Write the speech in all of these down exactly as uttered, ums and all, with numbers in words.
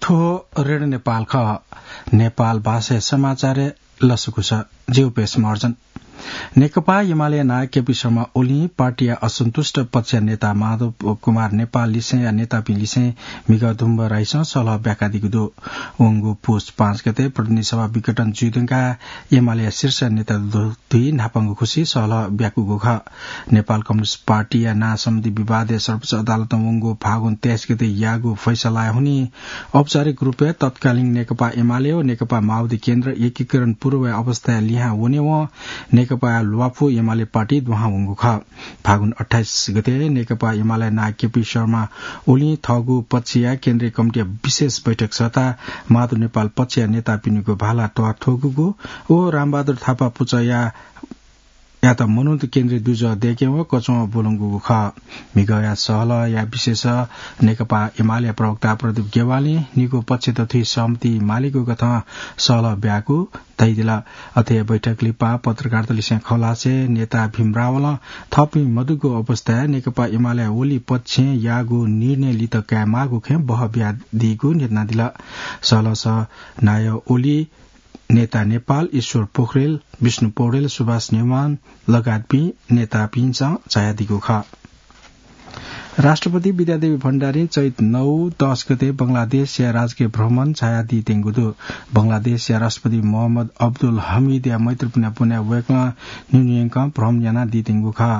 थ्व रेडियो नेपाल खः। नेपाल भाषाया समाचारय् लसकुस। ज्यू पेश महर्जन। नेकपा एमाले नायः केपी शर्मा ओलीं पार्टीया असन्तुष्ट पक्षया नेता माधव कुमार नेपाल लिसेंया नेतापिं लिसें म्हिगः दुम्ब राइसं सल्लाह ब्याकादीगु दु। वंगु पुस पाँच गते प्रतिनिधि सभा विघटन जुइधुंकाः एमालेया शीर्ष नेता दु-, दुई न्हापांगु खुसी सल्लाह ब्याकूगु खः। नेपाल कम्युनिस्ट पार्टीया नां सम्बन्धी विवादय् सर्वोच्च अदालतं वंगु फागुन तेइस गते याःगु फैसलाय् हुनिं औपचारिक रूपय् तत्कालीन नेकपा एमाले व नेकपा माओवादी केन्द्र एकीकरण पूर्वया अवस्थाय् लिहां वनेवं नेकपा ल्वापु एमाले पार्टी दुहां वंगु खः। फागुन अट्ठाइस गते नेकपा एमाले नायः केपी शर्मा ओलीं थःगु पक्षया केन्द्रीय कमिटीया विशेष बैठक सःताः माधव नेपाल पक्षया नेतापिनिगु भाला त्वाथ्वकूगु व रामबहादुर थापा पुचःया यात मनूत केन्द्रीय दुजः दय्केवं कचवं ब्वलंगु खः। म्हिगःया सल्लाहया विषयस नेकपा एमालेया प्रवक्ता प्रदीप गेवालीं निगू पक्षत थुइ सहमति मालेगु कथं सल्लाह ब्याःगु धयादिल। अथे हे बैठक लिपा पत्रकारतलिसें खँ ल्हासें नेता भीम रावलं थःपिं मदुगु अवस्थाय् नेकपा एमाले ओली पक्षं याःगु निर्णय लित कायेमाःगु खँय् बहः बियादीगु न्ह्यथनादिल। सल्लाहस नायः ओली नेता नेपाल ईश्वर पोखरेल, विष्णु पौडेल, सुभाष नेवान लगायतपिं नेतापिन्सं झायादीगु खः। राष्ट्रपति विद्यादेवी भण्डारीं चैत नौ दस गते बंगलादेशया राजकीय भ्रमण झायादीत्यंगु दु। बंगलादेशया राष्ट्रपति मोहम्मद अब्दुल हमिदया मैत्रीपूर्ण पुण्या वय्कलं न्हिन्हुयंकं भ्रमण यानादीत्यंगु खः।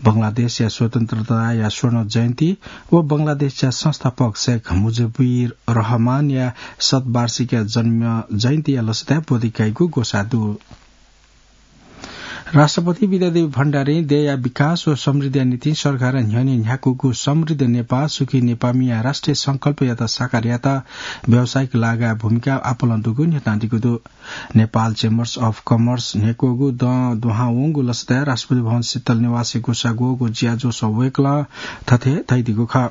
बंगलादेशया स्वतन्त्रताया स्वर्ण जयन्ती व बंगलादेशया संस्थापक शेख मुजिबुर रहमानया शतवार्षिकीया जन्म जयन्तीया लसताय् ब्वति काइगु ग्वसाः दु। राष्ट्रपति विद्यादेवी भण्डारीं देय्‌या विकास व समृद्धिया निंतिं सरकारं न्ह्यःने न्ह्याकूगु समृद्ध नेपाल, सुखी नेपालमिया राष्ट्रिय संकल्पयात साकार यायेत व्यावसायिक लागाय् भूमिका आपालं दुगु न्ह्यथनादीगु दु। नेपाल Chambers of Commerce न्ह्यक्वःगु दँ दुहां वंगु लसताय् राष्ट्रपति भवन शीतल निवासय् ग्वसाः ग्वःगु ज्याझ्वलय् वय्कलं थथे धयादीगु खः।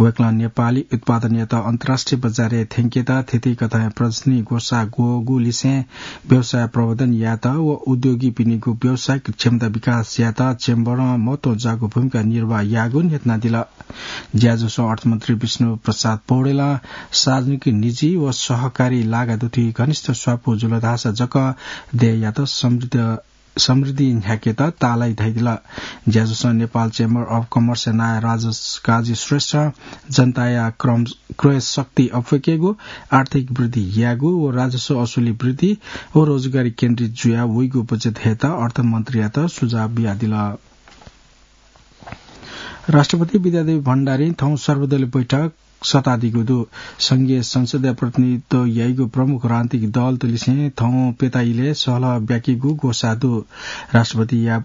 वय्कलं नेपाली उत्पादनयात अन्तर्राष्ट्रिय बजारय् थ्यंकेत थीथी कथंया प्रदर्शनी ग्वसाः ग्वःगु लिसें व्यवसाय प्रवर्धन यायेत व उद्योगीपिनिगु व्यावसायिक क्षमता विकास यायेत चेम्बरं महत्वजाःगु भूमिका निर्वाह याःगु न्ह्यथनादिल। ज्याझ्वलय् अर्थमन्त्री विष्णु प्रसाद पौडेलं सार्वजनिक निजी व सहकारी लागा दुथी घनिष्ठ स्वापू जुल धाःसा जक देय्‌यात समृद्ध, समृद्धि न्ह्याकेत ताःलाइ धयादिल। ज्याझ्वलय् नेपाल Chamber of Commerce-या नायः राजेश काजी श्रेष्ठं जनताया क्रम, क्रय शक्ति अप्वय्केगु, आर्थिक वृद्धि यायेगु व राजस्व असुली वृद्धि व रोजगारी केन्द्रित जुया वइगु बजेट हयेत अर्थमन्त्रीयात सुझाव बियादिल। राष्ट्रपति विद्यादेवी भण्डारीं थौं सर्वदलीय बैठक सःतादीगु दु। संघीय संसदय् प्रतिनिधित्व याइगु प्रमुख राजनीतिक दलतलिसें थौं प्यता इलय् सहलह ब्याकीगु ग्वसाः दु। राष्ट्रपतिया,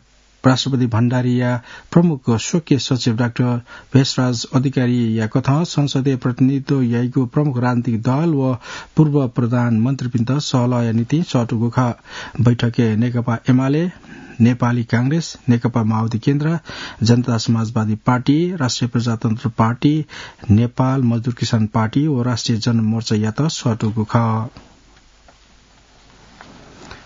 राष्ट्रपति भण्डारीया प्रमुख स्वकीय सचिव डाक्टर भेषराज अधिकारीया कथं संसदय् प्रतिनिधित्व याइगु प्रमुख राजनीतिक दल व पूर्व प्रधानमन्त्रीपिन्त सहलहया निंतिं सःतूगु खः। बैठकय् नेकपा एमाले, नेपाली कांग्रेस, नेकपा माओवादी केन्द्र, जनता समाजवादी पार्टी, राष्ट्रिय प्रजातन्त्र पार्टी, नेपाल मजदुर किसान पार्टी व राष्ट्रिय जनमोर्चायात सःतूगु खः।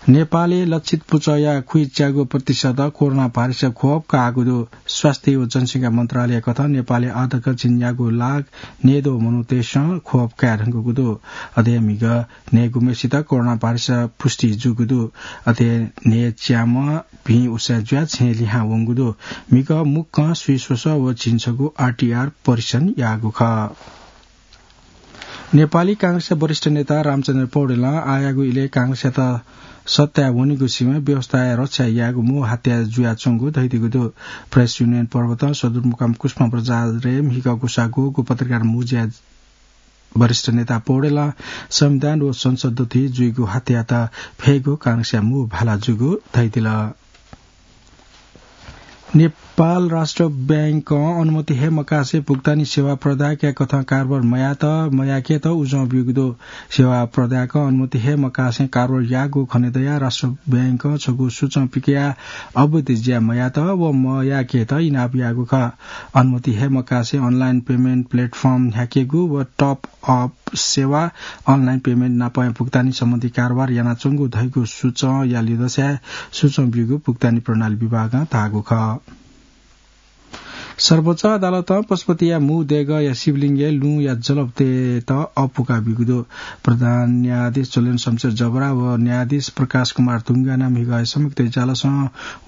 नेपालय् लक्षित पुचःया खुइच्यागू प्रतिशत कोरोना भाइरसया खोप काःगु दु। स्वास्थ्य व जनसंख्या मन्त्रालय कथं नेपालय् आःतक झिंन्यागू लाख न्यय्दँ मनूतय्सं खोप काये धुंकूगु दु। अथे म्हिगः न्हय्‌गूम्हेसित कोरोना भाइरस पुष्टि जूगु दु। अथे न्हय्‌च्याम्ह भिं उसाँय् जुयाः छेँय् लिहां वंगु दु। म्हिगः मुक्कं स्वीस्वसः व झिंछगू आरटीआर परीक्षण याःगु खः। नेपाली कांग्रेसया वरिष्ठ नेता रामचन्द्र पौडेलं आःयागु इलय् कांग्रेसयात सत्ताय् वनेगु सिबें व्यवस्थाया रक्षा यायेगु मू हात्या जुयाच्वंगु धयादीगु दु। प्रेस युनियन पर्वतं सदरमुकाम कुसुम बजारय् म्हिगः ग्वसाः ग्वःगु पत्रकार मुँज्याय् वरिष्ठ नेता पौडेलं संविधान व संसद दथुइ जुइगु हात्यायात फयेगु कांग्रेसया मू भाला जूगु धयादिल। नेपाल राष्ट्र बैंकं अनुमति हये मकासे भुक्तानी सेवा प्रदायकया कथं कारोबार मयात, मयाकेत उजं ब्यूगु दु। सेवा प्रदायकं अनुमति हये मकासे कारोबार याःगु खनेदयाः राष्ट्र बैंकं छगू सूचं पिकयाः अवैध ज्या मयात व मयाकेत इनाप याःगु खः। अनुमति हये मकासे online payment platform न्ह्याकेगु व top up सेवा, online payment नापं भुक्तानी सम्बन्धी कारोबार यानाच्वंगु धइगु सूचंया लिधंसाय् सूचं ब्यूगु भुक्तानी प्रणाली विभागं धाःगु खः। सर्वोच्च अदालतं पशुपतिया मू देगःया शिवलिङ्गय् लुँया जलप तयेत अप्वू काःबिगु दु। प्रधान न्यायाधीश झोलेन शमशेर जबरा व न्यायाधीश प्रकाश कुमार ढुङ्गाना म्हिगः संयुक्त इजलासं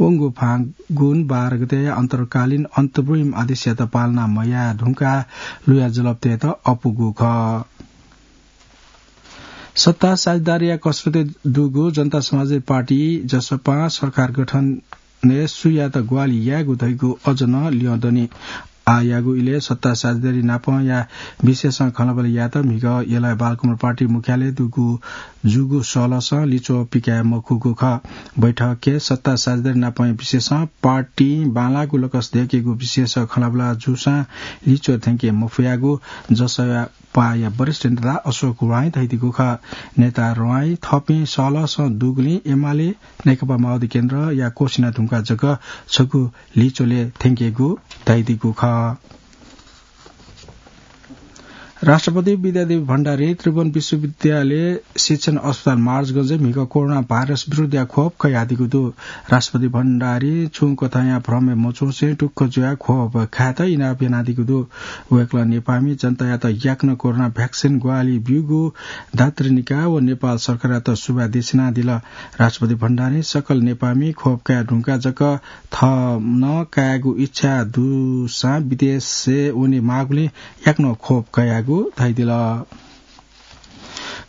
वंगु फागुन बाह्र गते अन्तर्कालीन अन्तरिम आदेशयात पालना मयाये धुंकाः लुँया जलप तयेत अप्वूगु खः। सत्ता साझेदारीया कसरतय् दुगु जनता समाजवादी पार्टी, जसपां, सरकार गठनय् सुयात ग्वाहालि यायेगु धइगु अझ नं ल्यं दनि। आःयागु इलय् सत्ता साझेदारी नापंया विषयसं खँल्हाबल्हा यायेत म्हिगः यलया बालकुमार पार्टी मुख्यालयय् दुगु जूगु सहलहसं लिच्वः पिकाये मखुगु खः। बैठकय् सत्ता साझेदारी नापंया विषयसं पार्टीं बांलाःगु लकस दय्केगु विषयसं खँल्हाबल्हा जूसां लिच्वः थ्यंके मफयागु जसपाया वरिष्ठ नेता अशोक ह्वाँइ धयादीगु खः। नेता ह्वाँइ थःपिं सहलहसं दुगुलिं एमाले, नेकपा माओवादी केन्द्रया कोसिना धुंकाः जक छगू लिच्वलय् थ्यंकेगु धयादीगु खः। राष्ट्रपति विद्यादेवी भण्डारीं त्रिभुवन विश्वविद्यालय शिक्षण अस्पताल महाराजगंजय् म्हिगः कोरोना भाइरस विरुद्धया ख्वप कयादीगु दु। राष्ट्रपति भण्डारीं छुं कथंया भ्रमय् मच्वंसे टुक्क जुयाः ख्वप खायेत इनाप यानादीगु दु। वय्कलं नेपाःमि जनतायात याकनं कोरोना भ्याक्सिन ग्वाहालि ब्यूगु धात्रीनिकाः व नेपाल सरकारयात सुभाय् देछानादिल। राष्ट्रपति भण्डारीं सकल नेपाःमि ख्वप काये धुंकाः जक थः नं कायेगु इच्छा दुसां विदेशय् वने माःगुलिं याकनं ख्वप कयागु धयादिल।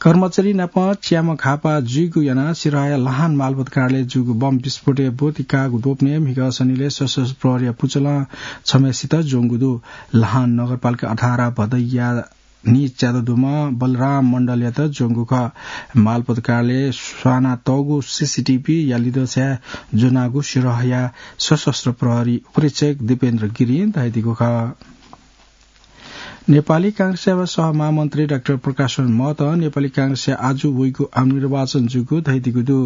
कर्मचारी नाप च्याम्ह घाःपाः जुइगु यानाः सिरहाया लहान मालपोत कार्यालयय् जूगु बम विस्फोटय् ब्वति काःगु द्वपनय् म्हिगः सनिलय् सशस्त्र प्रहरीया पुचलं छम्हय्सित ज्वंगु दु। लहान नगरपालिका अठार भदैया नीच्यादँ दुम्ह बलराम मण्डलयात ज्वंगु खः। मालपोत कार्यालयय् स्वानातःगु सीसीटीभीया लिदँसाय् ज्वनागु सिरहाया सशस्त्र प्रहरी उपरीक्षक दीपेन्द्र गिरिं धयादीगु खः। नेपाली कांग्रेसया सहमहामन्त्री डाक्टर प्रकाश महतं नेपाली कांग्रेसया आजु वइगु आम निर्वाचन जूगु धयादीगु दु।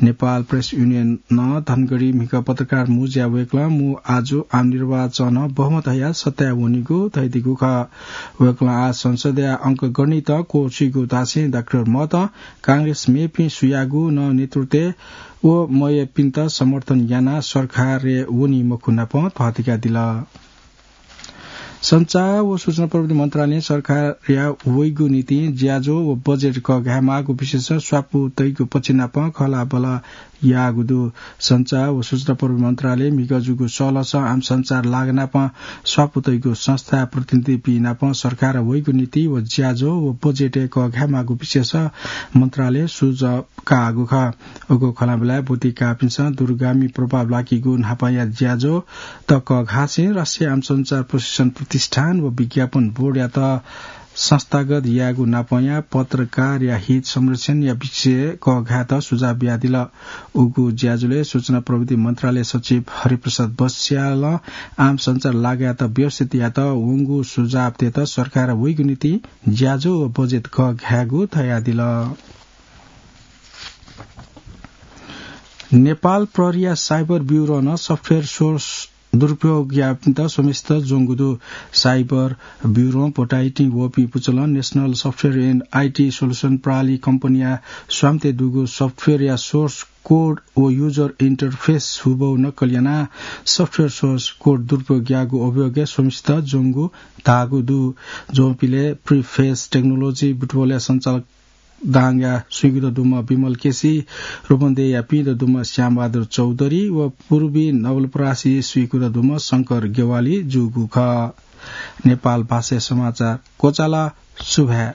नेपाल प्रेस युनियनं धनगढी म्हिगः पत्रकार मुँज्या वय्कलं मू आजु आम निर्वाचनं बहुमत हयाः सत्ताय् वनीगु धयादीगु खः। वय्कलं आः संसदया अंकगणितं क्वःछुइगु धासें डाक्टर महतं कांग्रेस मेपिं सुयागु नं नेतृत्वय् व मयाःपिन्त समर्थन यानाः सरकारय् वनी मखु नाप थःथिकादिल। सञ्चार व सूचना प्रविधि मन्त्रालयं सरकारया वइगु निंतिं ज्याझ्वः व बजेट कःघायेमाःगु विषयसं स्वापू तइगु पक्षनाप खँल्हाबल्हा याःगु दु। सञ्चार व सूचना प्रविधि मन्त्रालयं म्हिगः जूगु सहलहसं आम सञ्चार लागानाप स्वापू तइगु संस्थाया प्रतिनिधिपिं नाप सरकारया वइगु निंतिं व ज्याझ्वः व बजेटय् कःघायेमाःगु विषयसं मन्त्रालयं सुझाव काःगु खः। उगु खँल्हाबल्हाय् ब्वति काःपिन्सं दूरगामी प्रभाव लाकीगु न्हापाया ज्याझ्वःत कःघासें राष्ट्रिय आम सञ्चार प्रशिक्षण प्रतिष्ठान व विज्ञापन बोर्डयात संस्थागत यायेगु नापंया पत्रकारया हित संरक्षणया विषयय् कःघायेत सुझाव बियादिल। उगु ज्याझ्वलय् सूचना प्रविधि मन्त्रालय सचिव हरिप्रसाद बस्यालं आम सञ्चार लागायेत व्यवस्थित यायेत वंगु सुझाव तयेत सरकारया वइगु निंतिं ज्याझ्वः व बजेट कःघायेगु धयादिल। नेपाल प्रहरीया साइबर ब्युरोनं सफ्टवेयर सोर्स दुरुपयोग याःपिन्त स्वम्हेसित ज्वंगु दु। साइबर ब्युरों भोटाइटिं वःपिं पुचलं National Software and I T Solution प्रणाली कम्पनीया स्वामित्वय् दुगु सफ्टवेयरया सोर्स कोड व युजर इन्टरफेस हुबहु नक्कल यानाः सफ्टवेयर सोर्स कोड दुरुपयोग याःगु अभियोगय् स्वम्हेसित ज्वंगु धाःगु दु। ज्वंपिलय् प्रिफेस टेक्नोलोजी बुटवलया सञ्चालक दाङया स्वीकुत दुम्ह विमल केसी, रूपन्देहीया पिंत दुम्ह श्यामबहादुर चौधरी व पूर्वी नवलपरासी स्वीकुत दुम्ह शंकर गेवाली जूगु खः। नेपाल भाषाया समाचार क्वचाल। सुभाय्।